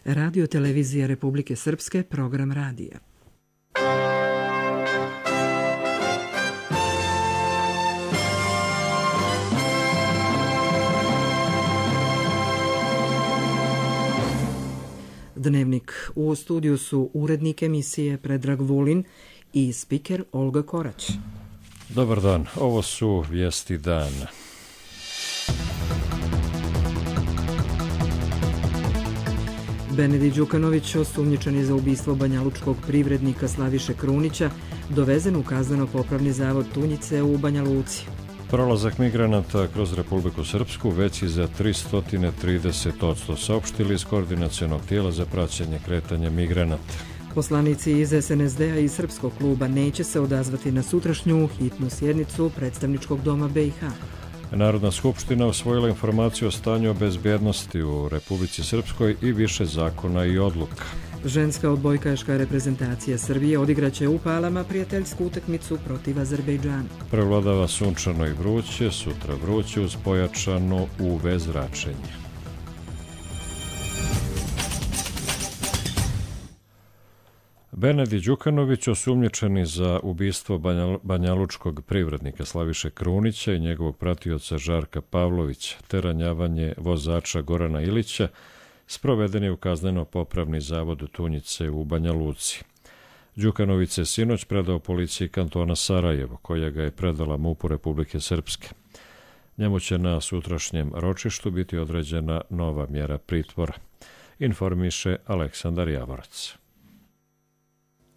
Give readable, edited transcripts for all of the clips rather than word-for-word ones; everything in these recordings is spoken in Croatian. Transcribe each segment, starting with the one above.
Radio televizija Republike Srpske, program radija. Dnevnik. U studiju su urednik emisije Predrag Vulin i spiker Olga Korać. Dobar dan, ovo su vijesti dana. Benedikt Đukanović, osumnjičen je za ubistvo banjalučkog privrednika Slaviše Krunića, dovezen u kazneno-popravni zavod Tunjice u Banja Luci. Prolazak migranata kroz Republiku Srpsku veći za 330%, saopštili iz koordinacionog tijela za praćenje kretanja migranata. Poslanici iz SNSD-a i Srpskog kluba neće se odazvati na sutrašnju hitnu sjednicu predstavničkog doma BiH. Narodna skupština usvojila informaciju o stanju bezbjednosti u Republici Srpskoj i više zakona i odluka. Ženska odbojkaška reprezentacija Srbije odigraće u Palama prijateljsku utakmicu protiv Azerbejdžana. Prevladava sunčano i vruće, sutra vruće uz pojačano UV zračenje. Benedikt Đukanović, osumnjičeni za ubistvo banjalučkog privrednika Slaviše Krunića i njegovog pratioca Žarka Pavlovića, te ranjavanje vozača Gorana Ilića, sproveden je u kazneno-popravni zavod Tunjice u Banja Luci. Đukanović se sinoć predao policiji kantona Sarajevo, koja ga je predala MUP-u Republike Srpske. Njemu će na sutrašnjem ročištu biti određena nova mjera pritvora, informiše Aleksandar Javorac.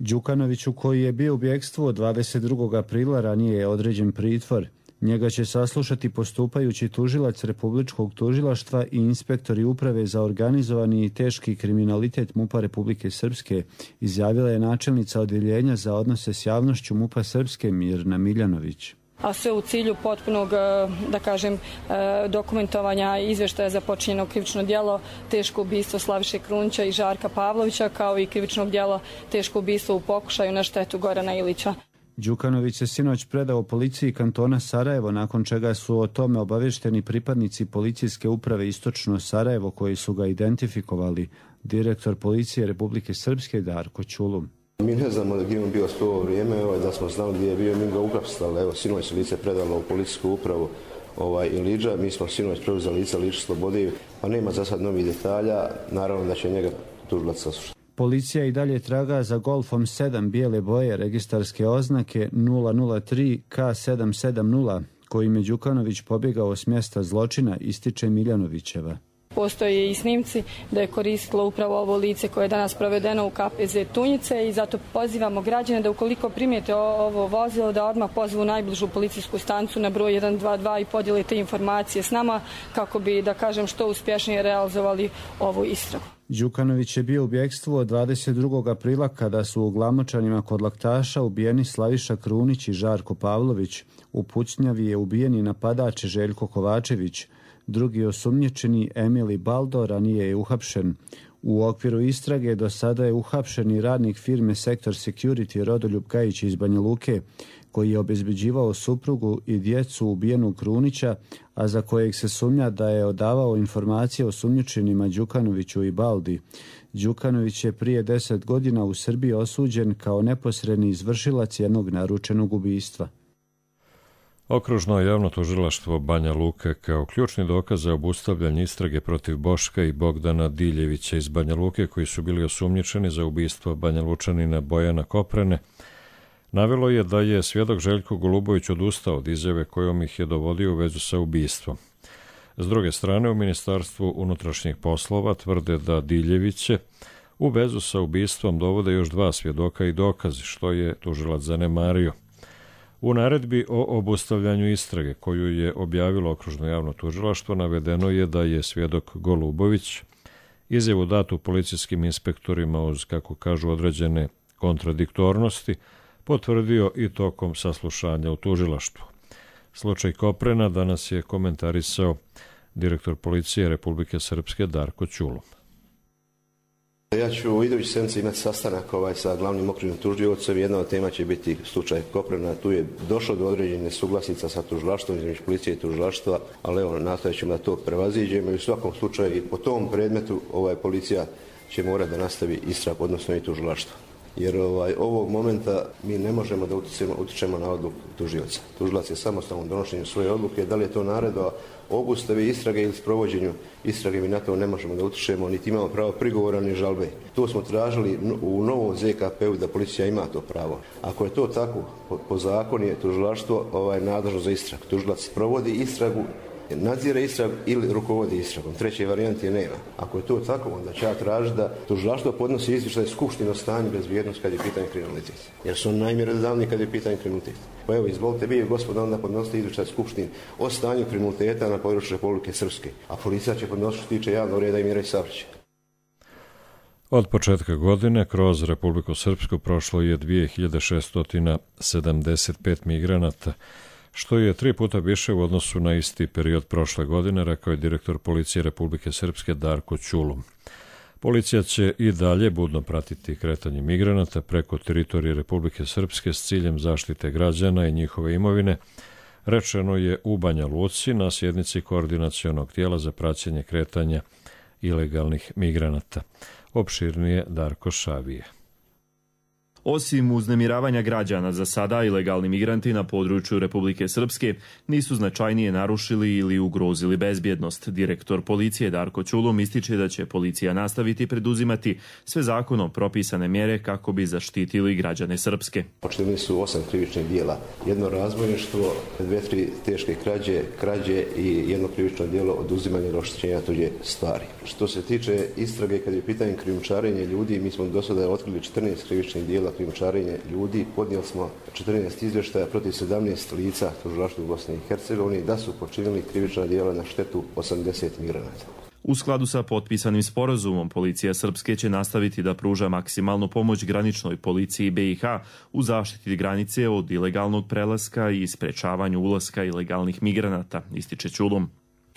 Đukanoviću, koji je bio u bjegstvu od 22. aprila, ranije je određen pritvor. Njega će saslušati postupajući tužilac Republičkog tužilaštva i inspektori uprave za organizovani i teški kriminalitet MUP-a Republike Srpske, izjavila je načelnica odjeljenja za odnose s javnošću MUP-a Srpske Mirna Miljanović. A sve u cilju potpunog, dokumentovanja izvještaja za počinjeno krivično djelo teško ubistvo Slaviše Krunića i Žarka Pavlovića, kao i krivičnog djela teško ubistvo u pokušaju na štetu Gorana Ilića. Đukanović se sinoć predao policiji kantona Sarajevo, nakon čega su o tome obavješteni pripadnici policijske uprave Istočno Sarajevo, koji su ga identifikovali, direktor policije Republike Srpske Darko Ćulum. Mi ne znamo gdje je on bio sve ovo vrijeme, da smo znali gdje je bio, mi ga uhapsili. Evo, sinoć se lice predalo u policijsku upravu Iliđa, mi smo sinoć preuzeli lice Liča Slobodi, pa nema za sad novih detalja, naravno da će njega tužilac saslušati. Policija i dalje traga za Golfom 7 bijele boje registarske oznake 003 K770, kojim je Đukanović pobjegao s mjesta zločina, ističe Miljanovićeva. Postoje i snimci da je koristilo upravo ovo lice koje je danas provedeno u KPZ Tunjice i zato pozivamo građane da ukoliko primijete ovo vozilo da odmah pozvu najbližu policijsku stanicu na broj 122 i podijele te informacije s nama kako bi, što uspješnije realizovali ovu istragu. Đukanović je bio u bjegstvu od 22. aprila kada su u Glamočanima kod Laktaša ubijeni Slaviša Krunić i Žarko Pavlović. U Pucnjavi je ubijeni napadač Željko Kovačević. Drugi osumnjičeni Emili Baldo ranije je uhapšen. U okviru istrage do sada je uhapšen i radnik firme Sektor Security Rodoljub Gajić iz Banja Luke, koji je obezbeđivao suprugu i djecu ubijenog Krunića, a za kojeg se sumnja da je odavao informacije o osumnjičenima Đukanoviću i Baldi. Đukanović je prije 10 godina u Srbiji osuđen kao neposredni izvršilac jednog naručenog ubistva. Okružno javno tužilaštvo Banja Luke kao ključni dokaz za obustavljanje istrage protiv Boška i Bogdana Diljevića iz Banja Luke, koji su bili osumnjičeni za ubistvo Banja Lučanina Bojana Koprene, navelo je da je svjedok Željko Golubović odustao od izjave kojom ih je dovodio u vezu sa ubistvom. S druge strane, u Ministarstvu unutrašnjih poslova tvrde da Diljeviće u vezu sa ubistvom dovode još 2 svjedoka i dokazi, što je tužilac zanemario. U naredbi o obustavljanju istrage, koju je objavilo okružno javno tužilaštvo, navedeno je da je svjedok Golubović izjavu datu policijskim inspektorima uz, kako kažu, određene kontradiktornosti, potvrdio i tokom saslušanja u tužilaštvu. Slučaj Koprena danas je komentarisao direktor policije Republike Srpske Darko Ćulum. Ja ću u idući sedmici imati sastanak sa glavnim okrivnim tužiocem. Jedna od tema će biti slučaj Koprena. Tu je došlo do određene suglasica sa tužilaštvom, između policije i tužilaštva, ali evo, nastojat ćemo da to prevaziđemo i u svakom slučaju i po tom predmetu policija će morati da nastavi istragu, odnosno i tužilaštvo. Jer ovog momenta mi ne možemo da utičemo na odluku tužioca. Tužilac je samostalno donošenju svoje odluke, da li je to naredba obustavi istrage ili sprovođenju istrage, mi na to ne možemo da utičemo, niti imamo pravo prigovora ni žalbe. To smo tražili u novom ZKP-u da policija ima to pravo. Ako je to tako, po zakonu je tužilaštvo nadležno za istragu. Tužilac provodi istragu, nadzire istragu ili rukovodi istragom. Treće varijante nema. Ako je to tako, onda će ja tražiti da tužilaštvo podnosi izvještaj Skupštine o stanju bezbjednosti kad je pitanje kriminalitet. Jer su najmjerodavniji kad je pitanje kriminalitet. Pa evo, izvolite vi, gospodo, onda podnosite izvještaj Skupštine o stanju kriminaliteta na području Republike Srpske. A policija će podnositi što tiče javnog reda i mira i saobraćaja. Od početka godine kroz Republiku Srpsku prošlo je 2675 migranata, što je 3 puta više u odnosu na isti period prošle godine, rekao je direktor policije Republike Srpske Darko Ćulum. Policija će i dalje budno pratiti kretanje migranata preko teritorije Republike Srpske s ciljem zaštite građana i njihove imovine, rečeno je u Banja Luci na sjednici koordinacionog tijela za praćenje kretanja ilegalnih migranata. Opširnije Darko Šavije. Osim uznemiravanja građana, za sada ilegalni migranti na području Republike Srpske nisu značajnije narušili ili ugrozili bezbjednost. Direktor policije Darko Ćulum ističe da će policija nastaviti preduzimati sve zakonom propisane mjere kako bi zaštitili građane Srpske. Počinili su 8 krivičnih djela. Jedno razbojništvo, 2-3 teške krađe i jedno krivično djelo oduzimanja ili oštećenja tuđe stvari. Što se tiče istrage, kad je pitanje krijumčarenja ljudi, mi smo do sada otkrili 14 krivičnih djela krijumčarenje ljudi, podnijeli smo 14 izvještaja protiv 17 lica tužilaštva u Bosni i Hercegovini da su počinili krivična djela na štetu 80 migranata. U skladu sa potpisanim sporazumom, policija Srpske će nastaviti da pruža maksimalnu pomoć graničnoj policiji BiH u zaštiti granice od ilegalnog prelaska i sprečavanju ulaska ilegalnih migranata, ističe Ćulum.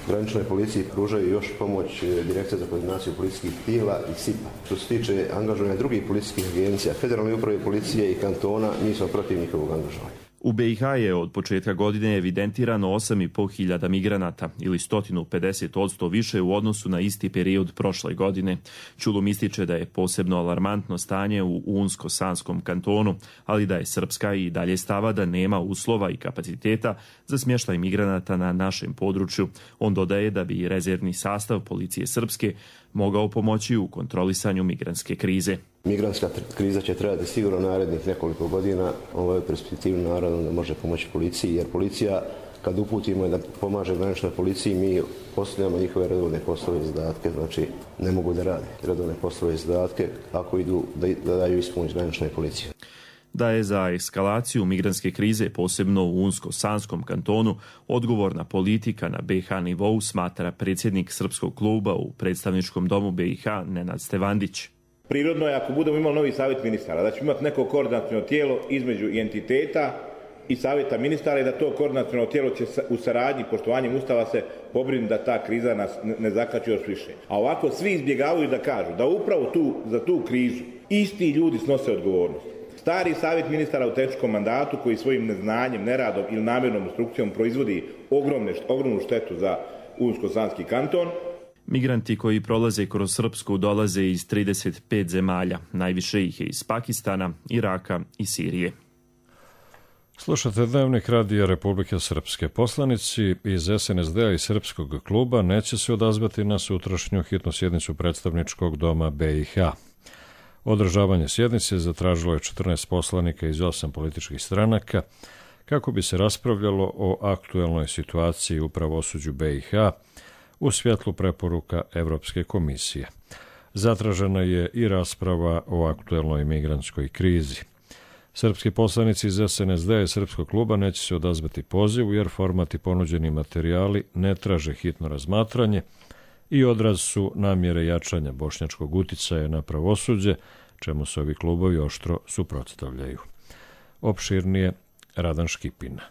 Graničnoj policiji pružaju još pomoć Direkcija za koordinaciju policijskih tijela i SIP-a. Što se tiče angažovanja drugih policijskih agencija, Federalne uprave policije i kantona, mi smo protiv njihovog angažovanja. U BiH je od početka godine evidentirano 8.500 migranata ili 150% više u odnosu na isti period prošle godine. Ćulum ističe da je posebno alarmantno stanje u Unsko-Sanskom kantonu, ali da je Srpska i dalje stava da nema uslova i kapaciteta za smještaj migranata na našem području. On dodaje da bi rezervni sastav policije Srpske mogao pomoći u kontrolisanju migrantske krize. Migrantska kriza će trebati sigurno narednih nekoliko godina. Ovo je perspektivno naravno da može pomoći policiji, jer policija kad uputimo da pomaže graničnoj policiji, mi postavljamo njihove redovne poslove i zadatke, znači ne mogu da rade redovne poslove i zadatke ako idu da daju ispomoć graničnoj policiji. Da je za eskalaciju migrantske krize, posebno u Unsko-Sanskom kantonu, odgovorna politika na BiH nivou, smatra predsjednik Srpskog kluba u predstavničkom domu BiH Nenad Stevandić. Prirodno je ako budemo imali novi savjet ministara, da ćemo imati neko koordinaciono tijelo između entiteta i savjeta ministara i da to koordinaciono tijelo će u saradnji, poštovanjem Ustava se pobrinuti da ta kriza nas ne zakači još više. A ovako svi izbjegavaju da kažu da upravo za tu krizu isti ljudi snose odgovornost. Stari savjet ministara u tehničkom mandatu koji svojim neznanjem, neradom ili namjernom instrukcijom proizvodi ogromnu štetu za Unsko-Sanski kanton. Migranti koji prolaze kroz Srpsku dolaze iz 35 zemalja, najviše ih je iz Pakistana, Iraka i Sirije. Slušate Dnevnik Radija Republike Srpske. Poslanici iz SNSD-a i Srpskog kluba neće se odazvati na sutrašnju hitnu sjednicu predstavničkog doma BiH. Održavanje sjednice zatražilo je 14 poslanika iz 8 političkih stranaka kako bi se raspravljalo o aktuelnoj situaciji u pravosuđu BiH u svjetlu preporuka Evropske komisije. Zatražena je i rasprava o aktuelnoj migrantskoj krizi. Srpski poslanici iz SNSD-a i Srpskog kluba neće se odazvati pozivu jer format i ponuđeni materijali ne traže hitno razmatranje i odraz su namjere jačanja bošnjačkog uticaja na pravosuđe, čemu se ovi klubovi oštro suprotstavljaju. Opširnije Radan Škipina.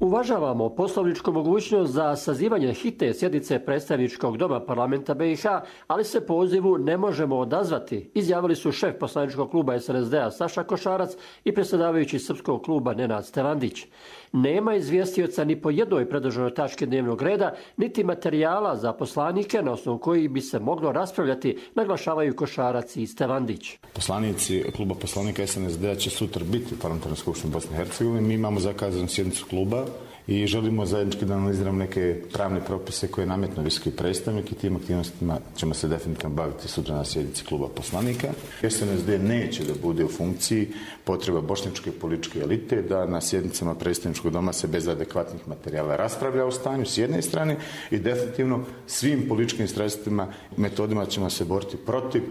Uvažavamo poslovničku mogućnost za sazivanje hitne sjednice predstavničkog doma parlamenta BiH, ali se pozivu ne možemo odazvati, izjavili su šef poslaničkog kluba SNSD-a Saša Košarac i predsjedavajući srpskog kluba Nenad Stevandić. Nema izvjestioca ni po jednoj predloženoj tački dnevnog reda, niti materijala za poslanike na osnovu kojih bi se moglo raspravljati, naglašavaju Košarac i Stevandić. Poslanici kluba poslanika SNSD-a će sutra biti u Parlamentarnoj skupštini Bosne i Hercegovine. Mi imamo zakazanu sjednicu kluba i želimo zajednički da analiziramo neke pravne propise koje je nametno visoki predstavnik i tim aktivnostima ćemo se definitivno baviti sutra na sjednici kluba poslanika. SNSD neće da bude u funkciji potreba bošnjačke političke elite da na sjednicama predstavničkog doma se bez adekvatnih materijala raspravlja o stanju s jedne strane i definitivno svim političkim sredstvima i metodima ćemo se boriti protiv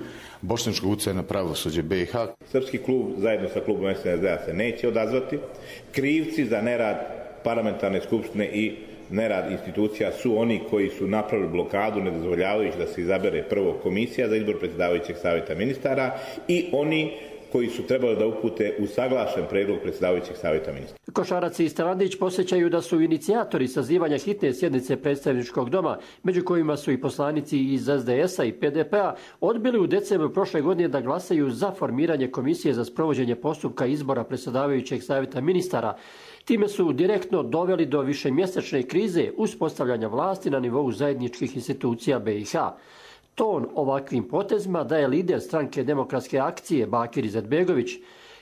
bošnjačkog utjecaja na pravosuđe BiH. Srpski klub zajedno sa klubom SNSD-a se neće odazvati. Krivci za nerad parlamentarne skupštine i nerad institucija su oni koji su napravili blokadu ne dozvoljavajući da se izabere prvo komisija za izbor predsjedavajućeg savjeta ministara i oni koji su trebali da upute usaglašen predlog predsjedavajućeg savjeta ministara. Košarac i Stevandić posjećaju da su inicijatori sazivanja hitne sjednice predstavničkog doma, među kojima su i poslanici iz SDS-a i PDP-a, odbili u decembru prošle godine da glasaju za formiranje komisije za sprovođenje postupka izbora predsjedavajućeg savjeta ministara. Time su direktno doveli do višemjesečne krize uspostavljanja vlasti na nivou zajedničkih institucija BiH. Ton ovakvim potezima daje lider stranke Demokratske akcije Bakir Izetbegović.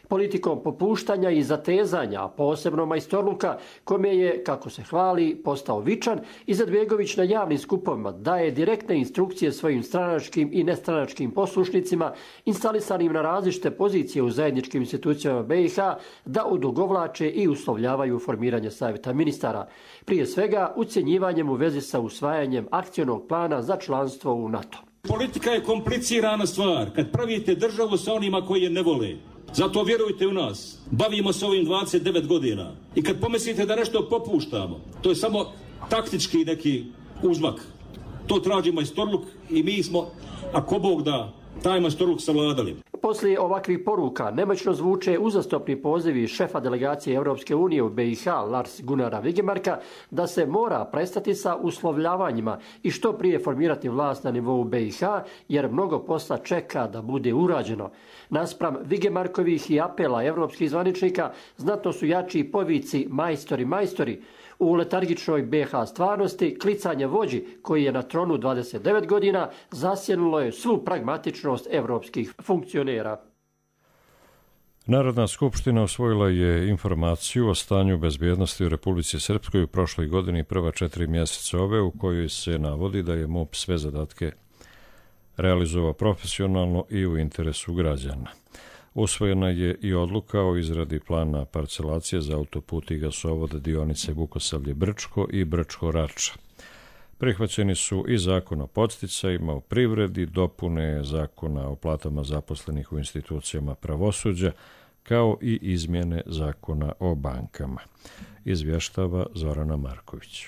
Politikom popuštanja i zatezanja, posebno majstorluka, kome je, kako se hvali, postao vičan, Izetbegović na javnim skupovima daje direktne instrukcije svojim stranačkim i nestranačkim poslušnicima, instalisanim na različite pozicije u zajedničkim institucijama BiH, da odugovlače i uslovljavaju formiranje savjeta ministara. Prije svega, ucjenjivanjem u vezi sa usvajanjem akcionog plana za članstvo u NATO. Politika je komplicirana stvar kad pravite državu sa onima koji je ne vole. Zato vjerujte u nas, bavimo se ovim 29 godina i kad pomislite da nešto popuštamo, to je samo taktički neki uzmak. To traži majstorluk i mi smo, ako Bog da, taj majstorluk savladali. Poslije ovakvih poruka nemoćno zvuče uzastopni pozivi šefa delegacije Europske unije u BiH Lars Gunnara Vigemarka da se mora prestati sa uslovljavanjima i što prije formirati vlast na nivou BiH, jer mnogo posla čeka da bude urađeno. Naspram Vigemarkovih i apela europskih zvaničnika znatno su jači povici majstori, majstori. U letargičnoj BiH stvarnosti klicanje vođi koji je na tronu 29 godina zasjenulo je svu pragmatičnost europskih funkcionera. Narodna skupština usvojila je informaciju o stanju bezbjednosti u Republici Srpskoj u prošloj godini prva 4 mjeseca ove, u kojoj se navodi da je MUP sve zadatke realizovao profesionalno i u interesu građana. Usvojena je i odluka o izradi plana parcelacije za autoput i gasovod dionice Vukosavlje-Brčko i Brčko-Rača. Prihvaćeni su i zakon o podsticajima u privredi, dopune zakona o platama zaposlenih u institucijama pravosuđa, kao i izmjene zakona o bankama. Izvještava Zorana Marković.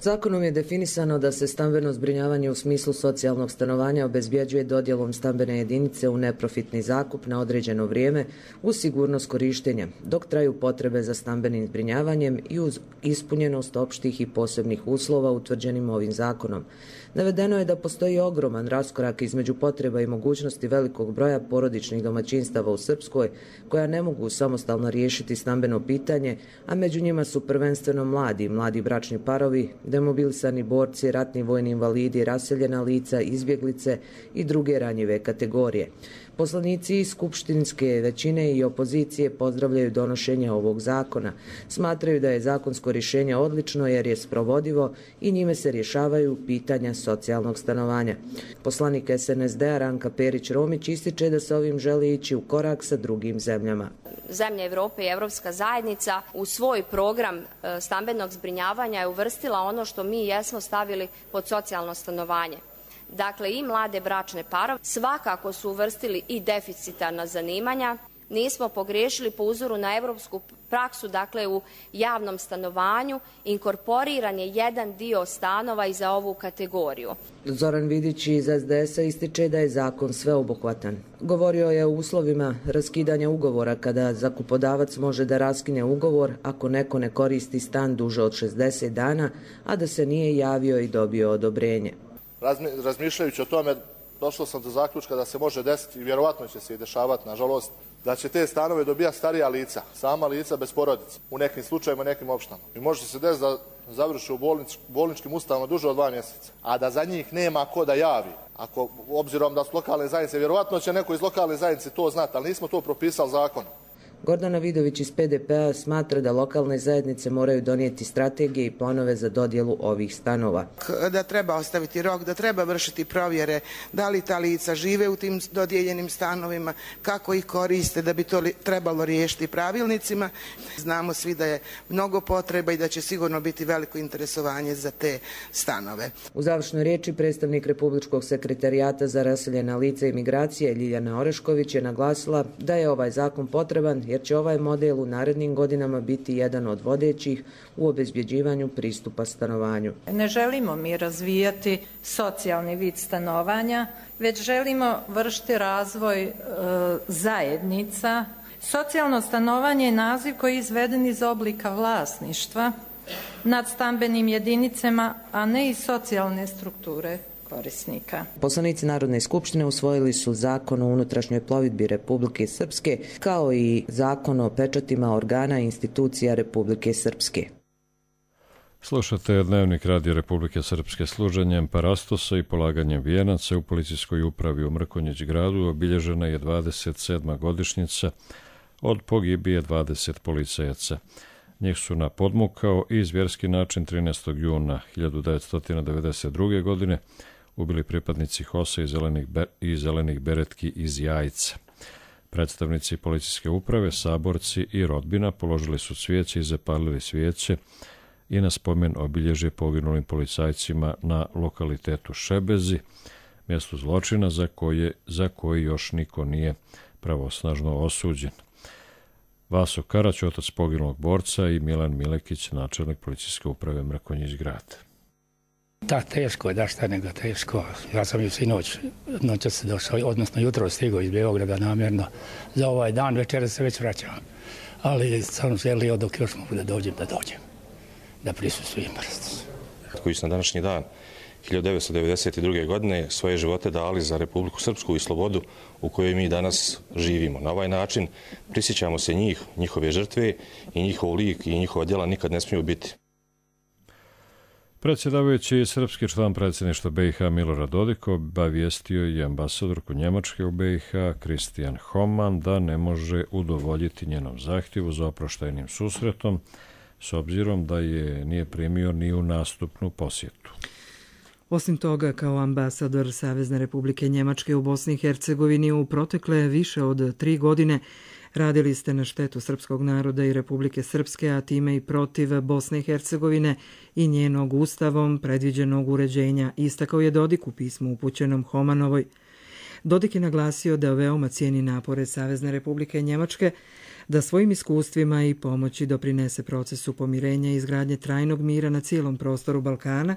Zakonom je definisano da se stambeno zbrinjavanje u smislu socijalnog stanovanja obezbjeđuje dodjelom stambene jedinice u neprofitni zakup na određeno vrijeme uz sigurnost korištenja, dok traju potrebe za stambenim zbrinjavanjem i uz ispunjenost opštih i posebnih uslova utvrđenim ovim zakonom. Navedeno je da postoji ogroman raskorak između potreba i mogućnosti velikog broja porodičnih domaćinstava u Srpskoj koja ne mogu samostalno riješiti stambeno pitanje, a među njima su prvenstveno mladi bračni parovi, demobilisani borci, ratni vojni invalidi, raseljena lica, izbjeglice i druge ranjive kategorije. Poslanici iz skupštinske većine i opozicije pozdravljaju donošenje ovog zakona. Smatraju da je zakonsko rješenje odlično jer je sprovodivo i njime se rješavaju pitanja socijalnog stanovanja. Poslanik SNSD-a Ranka Perić-Romić ističe da se ovim želi ići u korak sa drugim zemljama. Zemlje Evrope i Evropska zajednica u svoj program stambenog zbrinjavanja je uvrstila ono što mi jesmo stavili pod socijalno stanovanje. Dakle, i mlade bračne parove svakako su uvrstili i deficitarna zanimanja, nismo pogriješili po uzoru na europsku praksu, dakle u javnom stanovanju inkorporiran je jedan dio stanova i za ovu kategoriju. Zoran Vidić iz SDS-a ističe da je zakon sveobuhvatan. Govorio je o uslovima raskidanja ugovora kada zakupodavac može da raskine ugovor ako neko ne koristi stan duže od 60 dana, a da se nije javio i dobio odobrenje. Razmišljajući o tome, došao sam do zaključka da se može desiti i vjerovatno će se i dešavati, nažalost, da će te stanove dobijati starija lica, sama lica bez porodice, u nekim slučajevima, nekim opštinama. I može se desiti da završi u bolničkim ustanovama duže od 2 mjeseca, a da za njih nema ko da javi. Ako, obzirom da su lokalne zajednice, vjerovatno će neko iz lokalne zajednice to znati, ali nismo to propisali zakonom. Gordana Vidović iz PDP-a smatra da lokalne zajednice moraju donijeti strategije i planove za dodjelu ovih stanova. Da treba ostaviti rok, da treba vršiti provjere da li ta lica žive u tim dodijeljenim stanovima, kako ih koriste, da bi to trebalo riješiti pravilnicima. Znamo svi da je mnogo potreba i da će sigurno biti veliko interesovanje za te stanove. U završnoj riječi predstavnik Republičkog sekretarijata za raseljena lica i migracije Ljiljana Orešković je naglasila da je ovaj zakon potreban jer će ovaj model u narednim godinama biti jedan od vodećih u obezbjeđivanju pristupa stanovanju. Ne želimo mi razvijati socijalni vid stanovanja, već želimo vršiti razvoj zajednica. Socijalno stanovanje je naziv koji je izveden iz oblika vlasništva nad stambenim jedinicama, a ne iz socijalne strukture korisnika. Poslanici Narodne skupštine usvojili su Zakon o unutrašnjoj plovidbi Republike Srpske kao i Zakon o pečatima organa i institucija Republike Srpske. Slušate Dnevnik Radio Republike Srpske. Služenjem parastosa i polaganjem vijenaca u policijskoj upravi u Mrkonjić gradu obilježena je 27. godišnjica od pogibije 20 policajaca. Njih su na podmukao i zvjerski način 13. juna 1992. godine ubili pripadnici HOS-a i zelenih beretki iz Jajca. Predstavnici policijske uprave, saborci i rodbina položili su cvijeće i zapalili svijeće i na spomen obilježje poginulim policajcima na lokalitetu Šebezi, mjestu zločina za koji još niko nije pravosnažno osuđen. Vaso Karać, otac poginulog borca, i Milan Milekić, načelnik policijske uprave Mrkonjić grad. Da, teško je, da šta nego teško. Ja sam ju noćas došao, odnosno jutro stigao iz Beograda namjerno za ovaj dan, večera se već vraćam. Ali sam želio dok još mogu da dođem, da prisustvujem parastosu. Koji su na današnji dan 1992. godine svoje živote dali za Republiku Srpsku i slobodu u kojoj mi danas živimo. Na ovaj način prisjećamo se njih, njihove žrtve i njihov lik i njihova djela nikad ne smiju biti. Predsjedavajući srpski član predsjedništva BiH Milorad Dodik obavijestio je ambasadorku Njemačke u BiH Kristijan Homan da ne može udovoljiti njenom zahtjevu za oproštajnim susretom s obzirom da je nije primio ni u nastupnu posjetu. Osim toga, kao ambasador Savezne Republike Njemačke u Bosni i Hercegovini u protekle više od 3 godine radili ste na štetu srpskog naroda i Republike Srpske, a time i protiv Bosne i Hercegovine i njenog ustavom predviđenog uređenja, istakao je Dodik u pismu upućenom Homanovoj. Dodik je naglasio da veoma cijeni napore Savezne Republike Njemačke da svojim iskustvima i pomoći doprinese procesu pomirenja i izgradnje trajnog mira na cijelom prostoru Balkana,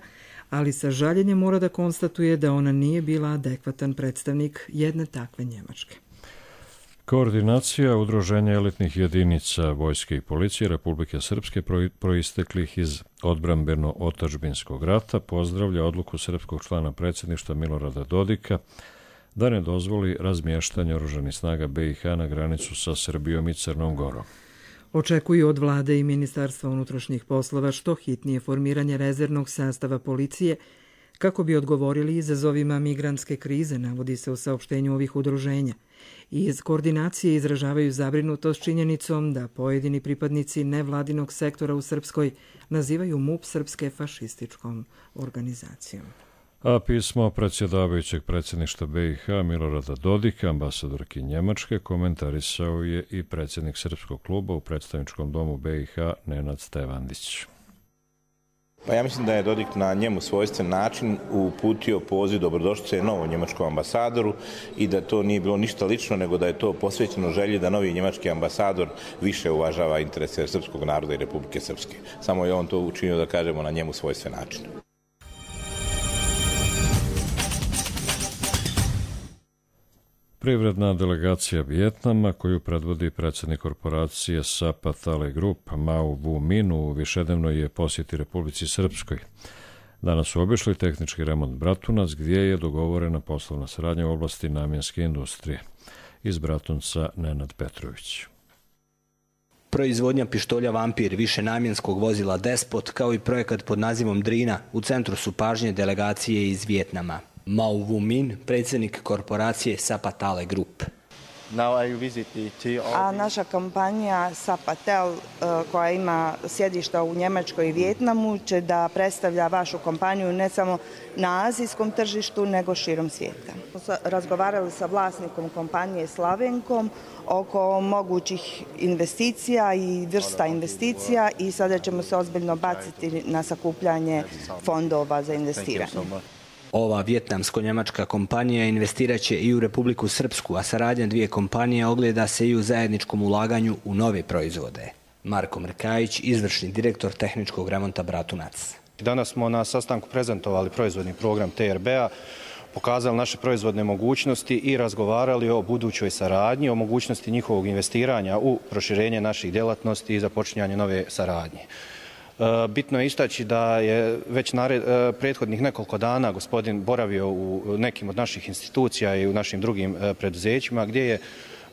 ali sa žaljenjem mora da konstatuje da ona nije bila adekvatan predstavnik jedne takve Njemačke. Koordinacija udruženja elitnih jedinica vojske i policije Republike Srpske proisteklih iz odbrambeno-otadžbinskog rata pozdravlja odluku srpskog člana predsjedništva Milorada Dodika da ne dozvoli razmještanje oružanih snaga BiH na granicu sa Srbijom i Crnom Gorom. Očekuju od vlade i Ministarstva unutrašnjih poslova što hitnije formiranje rezervnog sastava policije kako bi odgovorili izazovima migrantske krize, navodi se u saopštenju ovih udruženja. Iz koordinacije izražavaju zabrinutost činjenicom da pojedini pripadnici nevladinog sektora u Srpskoj nazivaju MUP Srpske fašističkom organizacijom. A pismo predsjedavajućeg predsjedništva BiH Milorada Dodika, ambasadorki Njemačke, komentarisao je i predsjednik Srpskog kluba u predstavničkom domu BiH Nenad Stevandić. Pa ja mislim da je Dodik na njemu svojstven način uputio poziv dobrodošlice novom njemačkom ambasadoru i da to nije bilo ništa lično, nego da je to posvećeno želji da novi njemački ambasador više uvažava interese srpskog naroda i Republike Srpske. Samo je on to učinio, da kažemo, na njemu svojstven način. Privredna delegacija Vijetnama, koju predvodi predsjednik korporacije Sapa Tale Group Mao Vu Min, u višednevnoj je posjeti Republici Srpskoj. Danas su obišli tehnički remont Bratunac, gdje je dogovorena poslovna saradnja u oblasti namjenske industrije. Iz Bratunca Nenad Petrović. Proizvodnja pištolja Vampir, višenamjenskog vozila Despot, kao i projekat pod nazivom Drina, u centru su pažnje delegacije iz Vijetnama. Mao Vu Min, predsjednik korporacije Sapa Tale Group. A naša kompanija Sapa Tel, koja ima sjedišta u Njemačkoj i Vijetnamu, će da predstavlja vašu kompaniju ne samo na azijskom tržištu, nego širom svijeta. Razgovarali sa vlasnikom kompanije Slavenkom oko mogućih investicija i vrsta investicija i sada ćemo se ozbiljno baciti na sakupljanje fondova za investiranje. Ova vjetnamsko-njemačka kompanija investirat će i u Republiku Srpsku, a saradnja dvije kompanije ogleda se i u zajedničkom ulaganju u nove proizvode. Marko Mrkajić, izvršni direktor tehničkog remonta Bratunac. Danas smo na sastanku prezentovali proizvodni program TRB-a, pokazali naše proizvodne mogućnosti i razgovarali o budućoj saradnji, o mogućnosti njihovog investiranja u proširenje naših djelatnosti i započinjanje nove saradnje. Bitno je istaći da je već prethodnih nekoliko dana gospodin boravio u nekim od naših institucija i u našim drugim preduzećima gdje je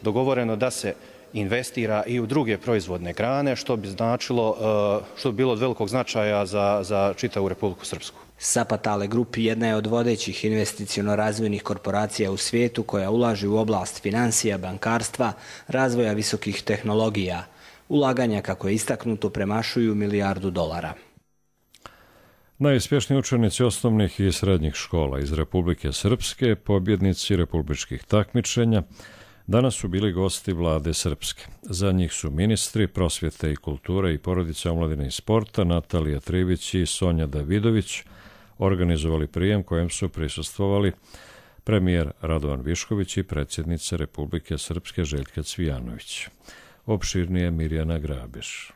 dogovoreno da se investira i u druge proizvodne grane, što bi značilo, što bi bilo od velikog značaja za čitavu Republiku Srpsku. Sapa Tale Group jedna je od vodećih investiciono-razvojnih korporacija u svijetu koja ulaže u oblast financija, bankarstva, razvoja visokih tehnologija. Ulaganja, kako je istaknuto, premašuju $1 milijardu. Najuspješniji učenici osnovnih i srednjih škola iz Republike Srpske, pobjednici republičkih takmičenja, danas su bili gosti vlade Srpske. Za njih su ministri prosvjete i kulture i porodice, omladine i sporta Natalija Trivić i Sonja Davidović organizovali prijem kojem su prisustvovali premijer Radovan Višković i predsjednica Republike Srpske Željka Cvijanović. Opširnije Mirjana Grabiš.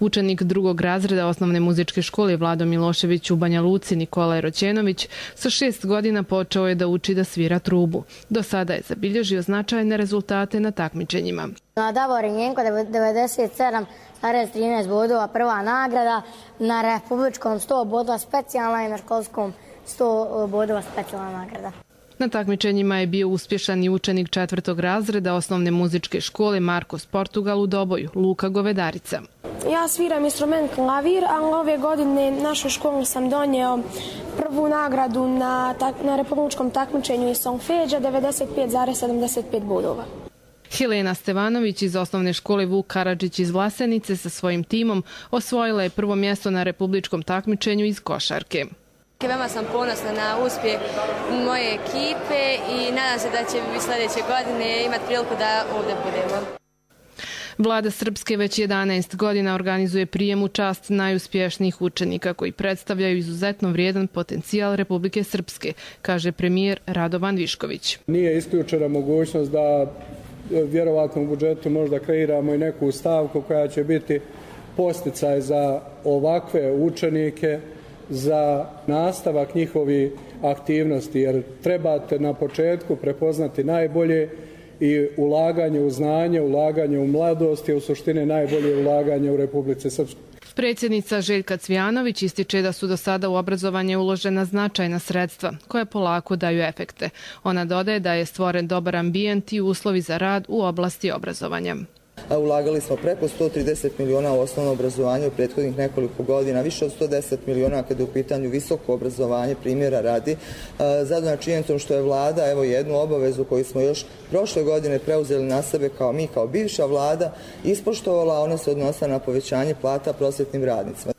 Učenik drugog razreda osnovne muzičke škole Vlado Milošević u Banja Luci Nikola Roćenović sa 6 godina počeo je da uči da svira trubu. Do sada je zabilježio značajne rezultate na takmičenjima. Na Davorin Jenko 97,13 bodova prva nagrada, na republičkom 100 bodova specijalna i na školskom 100 bodova specijalna nagrada. Na takmičenjima je bio uspješan i učenik 4. razreda osnovne muzičke škole Markos Portugal u Doboju, Luka Govedarica. Ja sviram instrument klavir, a ove godine našoj školi sam donio prvu nagradu na republičkom takmičenju iz solfeđa 95,75 bodova. Helena Stevanović iz osnovne škole Vuk Karadžić iz Vlasenice sa svojim timom osvojila je prvo mjesto na republičkom takmičenju iz košarke. Veoma sam ponosna na uspjeh moje ekipe i nadam se da će sljedeće godine imati priliku da ovdje budemo. Vlada Srpske već 11 godina organizuje prijem u čast najuspješnijih učenika koji predstavljaju izuzetno vrijedan potencijal Republike Srpske, kaže premijer Radovan Višković. Nije isključena mogućnost da vjerovatno u budžetu možda kreiramo i neku stavku koja će biti podsticaj za ovakve učenike, za nastavak njihovih aktivnosti, jer trebate na početku prepoznati najbolje i ulaganje u znanje, ulaganje u mladost je u suštini najbolje ulaganje u Republici Srpskoj. Predsjednica Željka Cvijanović ističe da su do sada u obrazovanje uložena značajna sredstva koja polako daju efekte. Ona dodaje da je stvoren dobar ambijent i uslovi za rad u oblasti obrazovanja. Ulagali smo preko 130 miliona u osnovno obrazovanje u prethodnih nekoliko godina, više od 110 miliona kada je u pitanju visoko obrazovanje, primjera radi. Zadovoljna činjenicom što je vlada jednu obavezu koju smo još prošle godine preuzeli na sebe kao bivša vlada ispoštovala, ona se odnosa na povećanje plata prosvjetnim radnicima.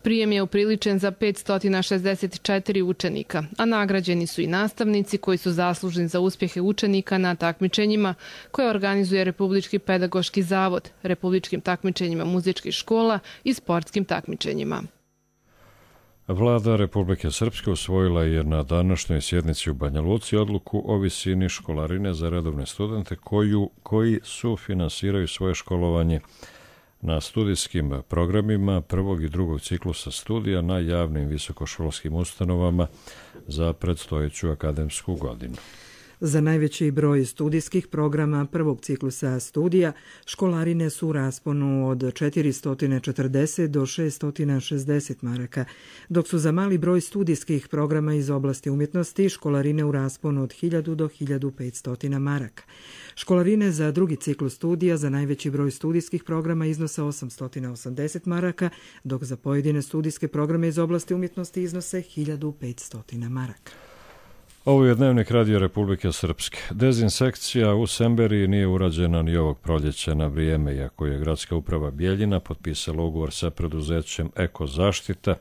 Prijem je upriličen za 564 učenika, a nagrađeni su i nastavnici koji su zaslužni za uspjehe učenika na takmičenjima koje organizuje Republički pedagoški zavod, republičkim takmičenjima muzičkih škola i sportskim takmičenjima. Vlada Republike Srpske usvojila je na današnjoj sjednici u Banja Luci odluku o visini školarine za redovne studente koji sufinansiraju svoje školovanje na studijskim programima prvog i drugog ciklusa studija na javnim visokoškolskim ustanovama za predstojeću akademsku godinu. Za najveći broj studijskih programa prvog ciklusa studija školarine su u rasponu od 440 do 660 maraka, dok su za mali broj studijskih programa iz oblasti umjetnosti školarine u rasponu od 1000 do 1500 maraka. Školarine za drugi ciklus studija za najveći broj studijskih programa iznose 880 maraka, dok za pojedine studijske programe iz oblasti umjetnosti iznose 1500 maraka. Ovo je Dnevnik Radio Republike Srpske. Dezinsekcija u Semberiji nije urađena ni ovog proljeća na vrijeme, iako je gradska uprava Bijeljina potpisala ugovor sa preduzećem Eko Zaštita.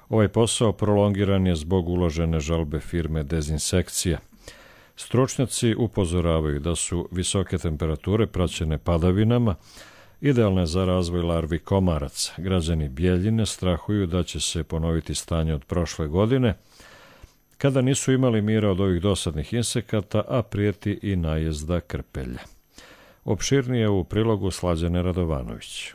Ovaj posao prolongiran je zbog uložene žalbe firme Dezinsekcija. Stručnjaci upozoravaju da su visoke temperature praćene padavinama idealne za razvoj larvi komaraca. Građani Bijeljine strahuju da će se ponoviti stanje od prošle godine, kada nisu imali mira od ovih dosadnih insekata, a prijeti i najezda krpelja. Opširnije u prilogu Slađane Radovanović.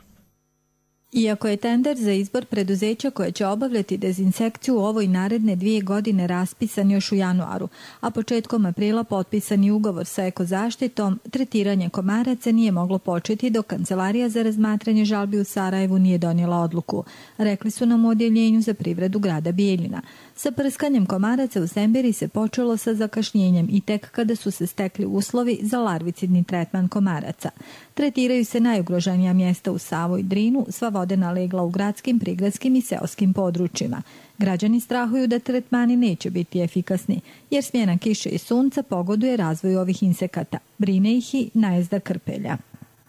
Iako je tender za izbor preduzeća koje će obavljati dezinsekciju u ovoj naredne 2 godine raspisan još u januaru, a početkom aprila potpisan je ugovor sa Ekozaštitom, tretiranje komaraca nije moglo početi dok Kancelarija za razmatranje žalbi u Sarajevu nije donijela odluku, rekli su nam u Odjeljenju za privredu grada Bijeljina. Sa prskanjem komaraca u Semberiji se počelo sa zakašnjenjem i tek kada su se stekli uslovi za larvicidni tretman komaraca. Tretiraju se najugroženija mjesta u Savu i Drinu, sva vodena legla u gradskim, prigradskim i seoskim područjima. Građani strahuju da tretmani neće biti efikasni, jer smjena kiše i sunca pogoduje razvoju ovih insekata. Brine ih i najezda krpelja.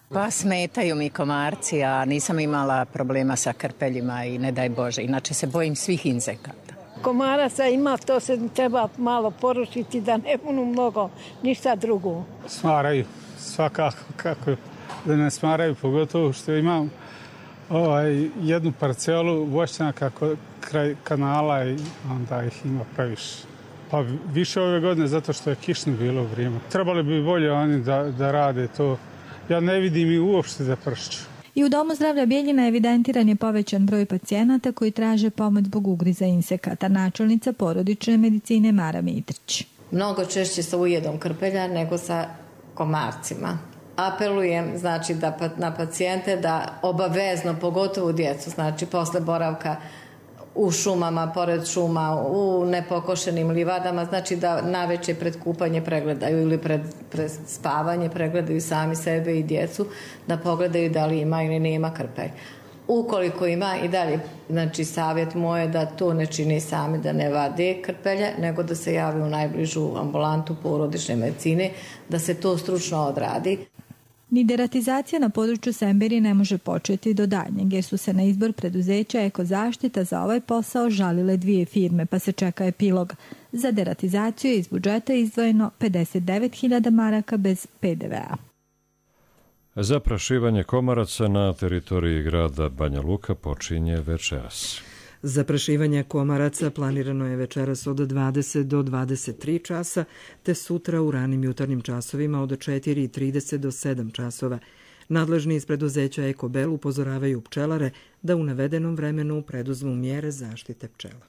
Pa smetaju mi komarci, a nisam imala problema sa krpeljima i ne daj Bože. Inače se bojim svih insekata. Komaraca ima, to se treba malo porušiti da ne budu mnogo, ništa drugo. Smaraju, svakako, kako da ne smaraju, pogotovo što imam jednu parcelu voćnjaka kraj kanala i onda ih ima previše. Pa više ove godine zato što je kišno bilo vrijeme. Trebali bi bolje oni da rade to. Ja ne vidim i uopšte da pršću. I u Domu zdravlja Bijeljina evidentiran je povećan broj pacijenata koji traže pomoć zbog ugriza insekata. Načelnica porodične medicine Mara Mitrić. Mnogo češće sa ujedom krpelja nego sa komarcima. Apelujem na pacijente da obavezno, pogotovo djecu, posle boravka u šumama, pored šuma, u nepokošenim livadama, da naveče pred kupanje pregledaju ili pred spavanje pregledaju sami sebe i djecu, da pogledaju da li ima ili nema krpelj. Ukoliko ima i dalje, savjet moj je da to ne čini sami, da ne vade krpelje, nego da se javi u najbližu ambulantu porodične medicine, da se to stručno odradi. Ni deratizacija na području Semberije ne može početi do daljnjeg, jer su se na izbor preduzeća Ekozaštita za ovaj posao žalile 2 firme, pa se čeka epilog. Za deratizaciju je iz budžeta izdvojeno 59.000 maraka bez PDV-a. Zaprašivanje komaraca na teritoriji grada Banja Luka počinje večeras. Zaprašivanje komaraca planirano je večeras od 20 do 23 časa, te sutra u ranim jutarnjim časovima od 4:30 do 7 časova. Nadležni iz preduzeća Ekobel upozoravaju pčelare da u navedenom vremenu preduzmu mjere zaštite pčela.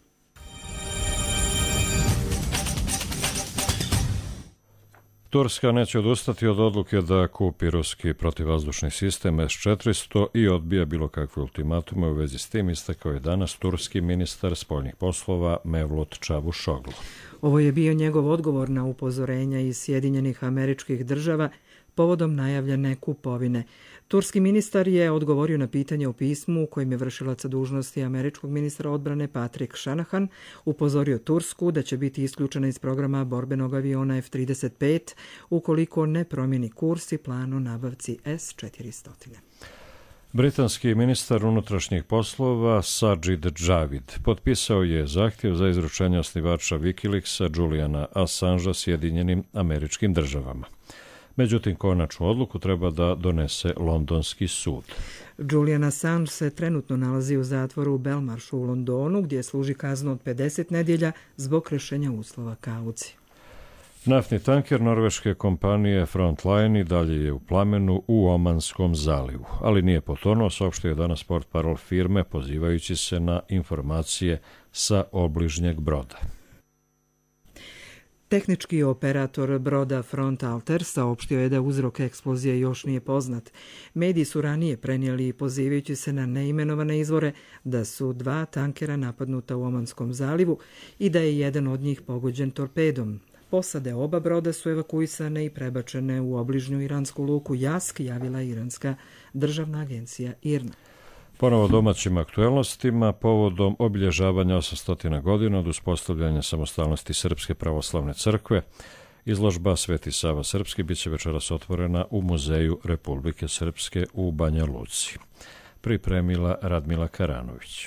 Turska neće odustati od odluke da kupi ruski protivvazdušni sistem S-400 i odbija bilo kakve ultimatume u vezi s tim, istakao je danas turski ministar spoljnih poslova Mevlut Čavuşoglu. Ovo je bio njegov odgovor na upozorenja iz Sjedinjenih Američkih Država povodom najavljene kupovine. Turski ministar je odgovorio na pitanje u pismu u kojem je vršilaca dužnosti američkog ministra odbrane Patrick Shanahan upozorio Tursku da će biti isključena iz programa borbenog aviona F-35 ukoliko ne promijeni kurs i plan o nabavci S-400. Britanski ministar unutrašnjih poslova Sajid Javid potpisao je zahtjev za izručenje osnivača Wikileaksa Juliana Assangea Sjedinjenim Američkim Državama. Međutim, konačnu odluku treba da donese londonski sud. Julian Assange se trenutno nalazi u zatvoru u Belmarshu u Londonu, gdje služi kaznu od 50 nedjelja zbog kršenja uslova kaucije. Naftni tanker norveške kompanije Frontline i dalje je u plamenu u Omanskom zalivu, ali nije potonuo, saopštio je danas portparol firme pozivajući se na informacije sa obližnjeg broda. Tehnički operator broda Front Alter saopštio je da uzrok eksplozije još nije poznat. Mediji su ranije prenijeli, pozivajući se na neimenovane izvore, da su 2 tankera napadnuta u Omanskom zalivu i da je jedan od njih pogođen torpedom. Posade oba broda su evakuisane i prebačene u obližnju iransku luku Jask, javila iranska državna agencija IRNA. Ponovo domaćim aktuelnostima, povodom obilježavanja 800 godina od uspostavljanja samostalnosti Srpske pravoslavne crkve, izložba Sveti Sava Srpski bit će večeras otvorena u Muzeju Republike Srpske u Banja Luci. Pripremila Radmila Karanović.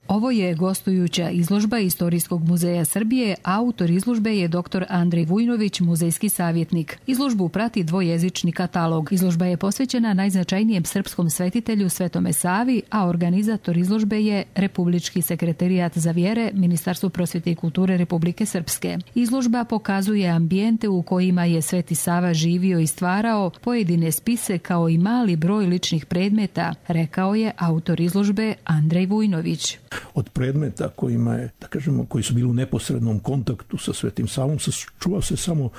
Ovo je gostujuća izložba Istorijskog muzeja Srbije, a autor izložbe je dr. Andrej Vujnović, muzejski savjetnik. Izložbu prati dvojezični katalog. Izložba je posvećena najznačajnijem srpskom svetitelju Svetome Savi, a organizator izložbe je Republički sekretarijat za vjere, Ministarstvo prosvjete i kulture Republike Srpske. Izložba pokazuje ambijente u kojima je Sveti Sava živio i stvarao, pojedine spise kao i mali broj ličnih predmeta, rekao je autor izložbe Andrej Vujnović. Od predmeta kojima je, da kažemo, koji su bili u neposrednom kontaktu sa Svetim Savom, čuva se samo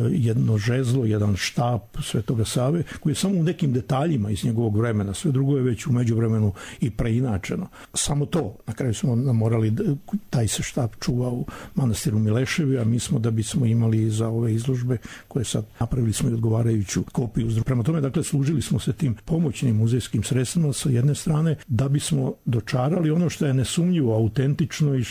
jedno žezlo, jedan štap Svetoga Save, koji je samo u nekim detaljima iz njegovog vremena. Sve drugo je već u međuvremenu i preinačeno. Samo to, na kraju smo morali, taj se štap čuva u manastiru Mileševi, a mi smo, da bismo imali za ove izložbe, koje sad napravili smo i odgovarajuću kopiju. Prema tome, dakle, služili smo se tim pomoćnim muzejskim sredstvima sa jedne strane, da bismo dočarali ono što je nesumnjivo, autentično i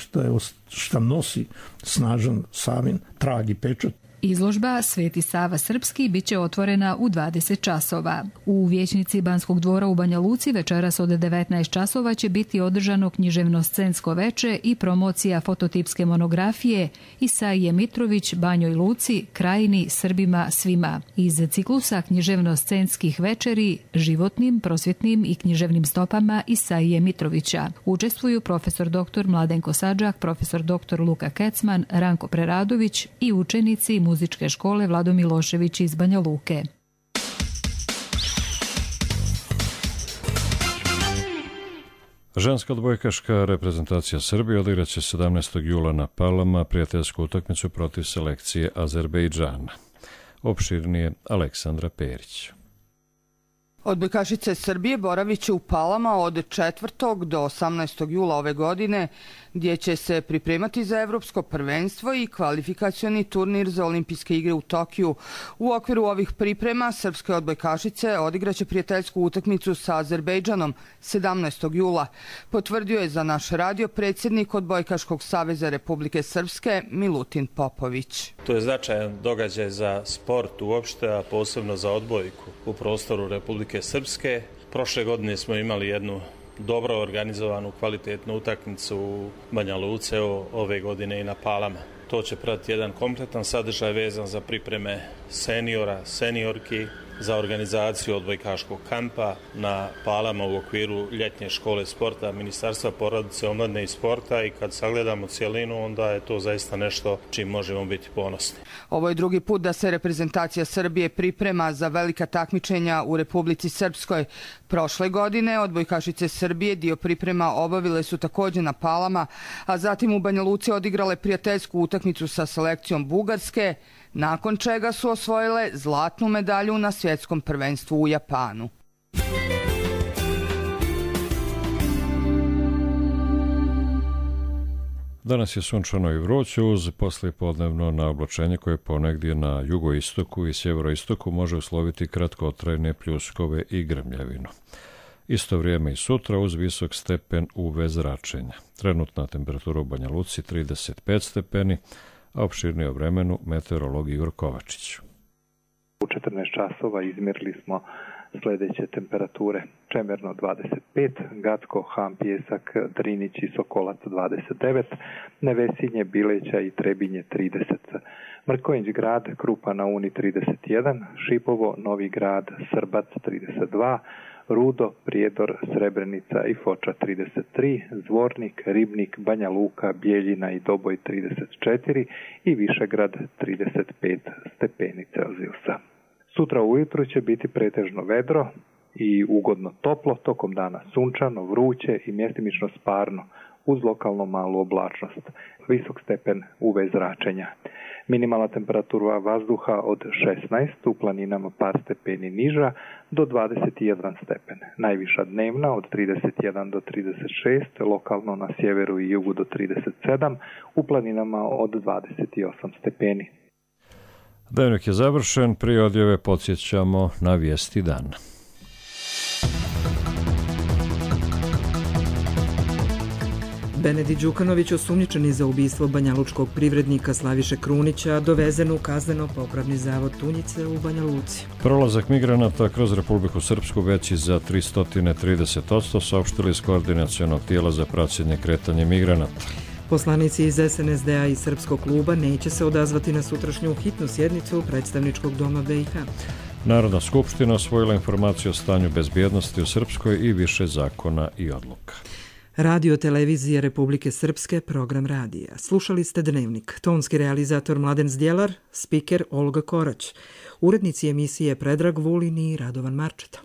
šta nosi snažan Savin trag i pečat. Izložba Sveti Sava Srpski bit će otvorena u 20 časova. U vijećnici Banskog dvora u Banja Luci večeras od 19 časova će biti održano književno-scensko veče i promocija fototipske monografije Isaije Mitrović, Banjoj Luci, Krajini, Srbima, svima. Iz ciklusa književno-scenskih večeri, životnim, prosvjetnim i književnim stopama Isaije Mitrovića. Učestvuju profesor dr. Mladenko Sadžak, profesor dr. Luka Kecman, Ranko Preradović i učenici muzičke škole Vlado Milošević iz Banja Luke. Ženska odbojkaška reprezentacija Srbije odigraće 17. jula na Palama prijateljsku utakmicu protiv selekcije Azerbejdžana. Opširnije Aleksandra Perić. Odbojkašice Srbije boravit će u Palama od 4. do 18. jula ove godine, gdje će se pripremati za evropsko prvenstvo i kvalifikacioni turnir za olimpijske igre u Tokiju. U okviru ovih priprema srpske odbojkašice odigraće prijateljsku utakmicu sa Azerbejdžanom 17. jula, potvrdio je za naš radio predsjednik Odbojkaškog saveza Republike Srpske Milutin Popović. To je značajan događaj za sport uopšte, a posebno za odbojku u prostoru Republike Srpske. Prošle godine smo imali jednu dobro organizovanu, kvalitetnu utakmicu u Banja Luce, ove godine i na Palama. To će pratiti jedan kompletan sadržaj vezan za pripreme seniora, seniorki, za organizaciju odbojkaškog kampa na Palama u okviru ljetnje škole sporta Ministarstva porodice, omladine i sporta, i kad sagledamo cjelinu, onda je to zaista nešto čim možemo biti ponosni. Ovo je drugi put da se reprezentacija Srbije priprema za velika takmičenja u Republici Srpskoj. Prošle godine odbojkašice Srbije dio priprema obavile su također na Palama, a zatim u Banja Luci odigrale prijateljsku utakmicu sa selekcijom Bugarske, nakon čega su osvojile zlatnu medalju na svjetskom prvenstvu u Japanu. Danas je sunčano i vruće uz poslijepodnevno naoblačenje koje ponegdje na jugoistoku i sjeveroistoku može usloviti kratkotrajne pljuskove i grmljavinu. Isto vrijeme i sutra uz visok stepen UV zračenja. Trenutna temperatura u Banja Luci 35 stepeni, a opširnije o vremenu meteorolog Igor Kovačić. U 14 časova izmjerili smo Sljedeće temperature: Čemerno 25, Gacko, Han, Pijesak, Drinić i Sokolac 29, Nevesinje, Bileća i Trebinje 30, Mrkonjić Grad, Krupa na Uni 31, Šipovo, Novi Grad, Srbac 32, Rudo, Prijedor, Srebrenica i Foča 33, Zvornik, Ribnik, Banja Luka, Bijeljina i Doboj 34 i Višegrad 35 stepeni Celzijusa. Sutra ujutru će biti pretežno vedro i ugodno toplo, tokom dana sunčano, vruće i mjestimično sparno, uz lokalno malu oblačnost, visok stepen UV zračenja. Minimalna temperatura vazduha od 16, u planinama par stepeni niža, do 21 stepen. Najviša dnevna od 31 do 36, lokalno na sjeveru i jugu do 37, u planinama od 28 stepeni. Dnevnik je završen, prije odjave podsjećamo na vijesti dana. Benedikt Đukanović, osumnjičeni za ubistvo banjalučkog privrednika Slaviše Krunića, dovezen u kazneno-popravni zavod Tunjice u Banja Luci. Prolazak migranata kroz Republiku Srpsku veći za 330%, saopštili iz koordinacionog tijela za praćenje kretanja migranata. Poslanici iz SNSD-a i Srpskog kluba neće se odazvati na sutrašnju hitnu sjednicu predstavničkog doma BiH. Narodna skupština osvojila informaciju o stanju bezbjednosti u Srpskoj i više zakona i odluka. Radio televizije Republike Srpske, program radija. Slušali ste Dnevnik. Tonski realizator Mladen Zdjelar, spiker Olga Korać. Urednici emisije Predrag Vulin i Radovan Marčeta.